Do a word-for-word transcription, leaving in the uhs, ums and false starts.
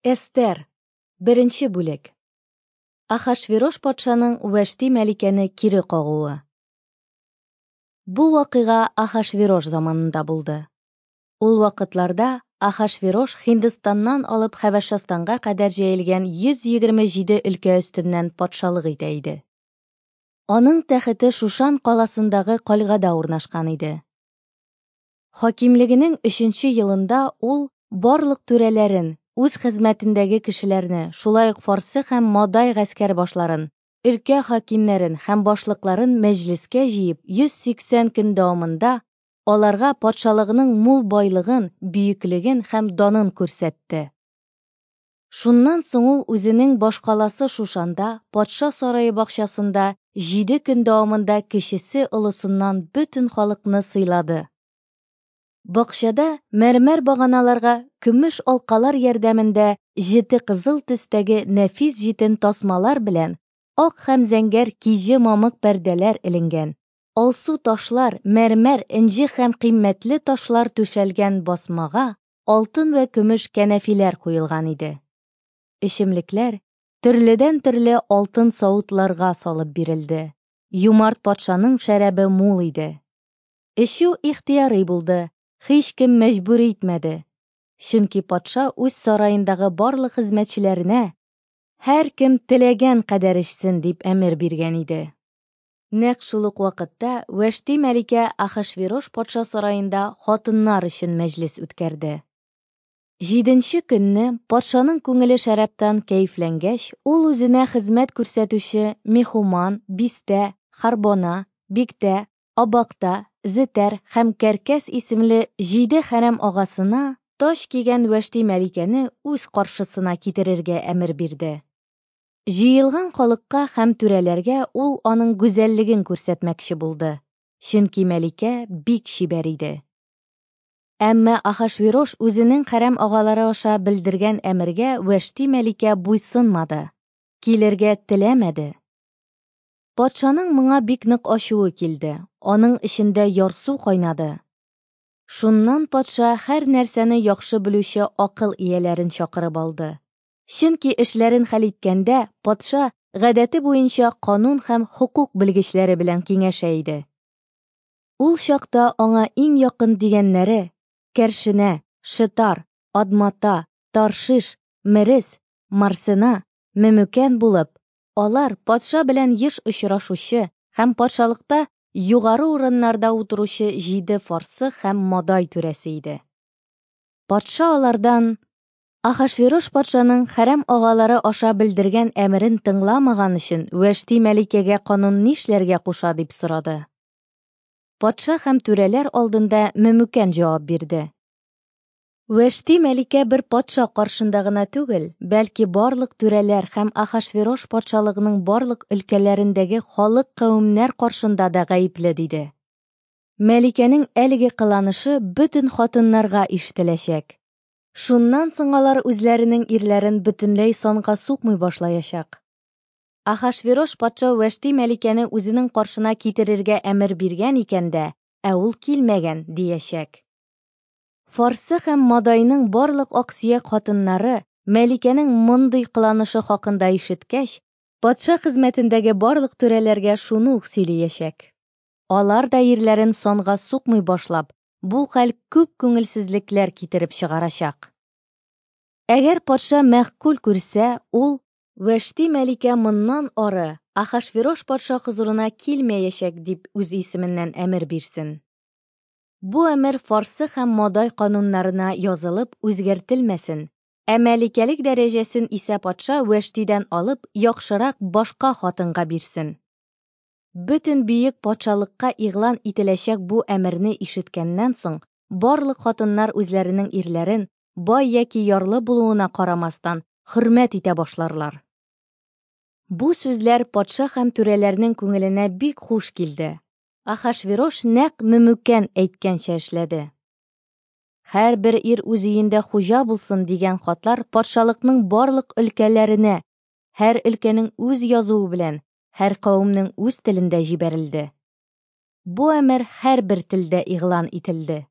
Эстер, беренче бүлек. Ахашверош патшаның Вәшти мәликәне кире кагуы. Бу вакыйга Ахашверош заманында булды. Ул вакытларда Ахашверош Һиндстаннан алып Хәбәшстанга кадәр җәелгән йөз егерме җиде өлкә өстеннән патшалык итә иде. Аның тәхете Шушан каласындагы кальгада урнашкан иде. Хакимлегенең өченче елында ул барлык түрәләрен, үз хезмәтендәге кешеләрне, шулай ук фарсы һәм мадай гаскәр башларын, өлкә хакимнәрен һәм башлыкларын мәҗлескә җыеп, йөз сиксән көн дәвамында аларга патшалыгының мул байлыгын, бөеклеген һәм данын күрсәтте. Шуннан соң ул үзенең башкаласы Шушанда, патша сарае бакчасында җиде көн дәвамында кечесе олысыннан бөтен халыкны сыйлады. Бакчада мәрмәр баганаларга көмеш алкалар ярдәмендә җете кызыл төстәге нәфис җитен тасмалар белән ак һәм зәңгәр киҗе мамык пәрдәләр эленгән. Алсу ташлар, мәрмәр, энҗе һәм кыйммәтле ташлар түшәлгән басмага алтын вә көмеш кәнәфиләр куелган иде. Эчемлекләр төрледән-төрле алтын савытларга салып бирелде. Юмарт патшаның шәрабе мул иде. Эчү ихтыярый булды. Һич кем мәҗбүр итмәде. Чөнки патша үз сараендагы барлык хезмәтчеләренә һәркем теләгән кадәр эчсен дип әмер биргән иде. Нәкъ шул ук вакытта Вәшти мәликә Ахашверош патша сараенда хатыннар өчен мәҗлес үткәрде. Җиденче көнне патшаның күңеле шәрабтан кәефләнгәч, ул үзенә хезмәт күрсәтүче Мехуман, Бистә, Харбона, Биктә, Абакта, Зетәр һәм Кәркәс исемле җиде хәрәм агасына таҗ кигән Вәшти мәликәне үз каршысына китерергә әмер бирде. Җыелган халыкка һәм түрәләргә ул аның гүзәллеген күрсәтмәкче булды, чөнки мәликә бик чибәр иде. Әмма Ахашверош үзенең хәрәм агалары аша белдергән әмергә Вәшти мәликә буйсынмады, килергә теләмәде. Патшаның моңа бик нык ачуы килде, аның эчендә ярсу кайнады. Шуннан патша һәр нәрсәне яхшы белүче акыл ияләрен чакырып алды. Чөнки эшләрен хәл иткәндә патша гадәте буенча канун һәм хокук белгечләре белән киңәшә иде. Ул чакта аңа иң якын дигәннәре Кәршенә, Шетар, Адмата, Таршиш, Мерес, Марсена, Мемүкән булып, алар патша белән еш очрашучы һәм патшалыкта югары урыннарда утыручы җиде фарсы һәм мадай түрәсе иде. Патша алардан Ахашверош патшаның хәрәм агалары аша белдергән әмерен тыңламаган өчен Вәшти мәликәгә канун нишләргә куша дип сорады. Патша һәм түрәләр алдында Мемүкән җавап бирде. Вәшти мәликә бер патша каршында гына түгел, бәлки барлык түрәләр һәм Ахашверош патшалыгының барлык өлкәләрендәге халык кавемнәр каршында да гаепле диде. Мәликәнең әлеге кыланышы бөтен хатыннарга ишетеләчәк. Шуннан соң алар үзләренең ирләрен бөтенләй санга сукмый башлаячак. Ахашверош патша Вәшти мәликәне үзенең каршына китерергә әмер биргән икән дә, ә ул килмәгән диячәк. Фарсы һәм Мадайның барлык аксөяк хатыннары мәликәнең мондый кыланышы хакында ишеткәч, патша хезмәтендәге барлык түрәләргә шуны ук сөйләячәк. Алар да ирләрен санга сукмый башлап, бу хәл күп күңелсезлекләр китереп чыгарачак. Әгәр патша мәгъкуль күрсә, ул Вәшти мәликә моннан ары Ахашверош патша хозурына килмәячәк дип үз исеменнән әмер бирсен. Бу әмер фарсы һәм мадай кануннарына язылып үзгәртелмәсен, ә мәликәлек дәрәҗәсен исә патша Вәштидән алып яхшырак башка хатынга бирсен. Бөтен бөек патшалыкка игълан ителәчәк бу әмерне ишеткәннән соң, барлык хатыннар үзләренең ирләрен бай яки ярлы булуына карамастан хөрмәт итә башларлар. Бу сүзләр патша һәм түрәләрнең күңеленә бик хуш килде. Ахашверош нәкъ Мемүкән әйткәнчә эшләде. Һәрбер ир үз өендә хуҗа булсын дигән хатлар патшалыкның барлык өлкәләренә, һәр өлкәнең үз язуы белән, һәр кавемнең үз телендә җибәрелде. Бу әмер һәрбер телдә игълан ителде.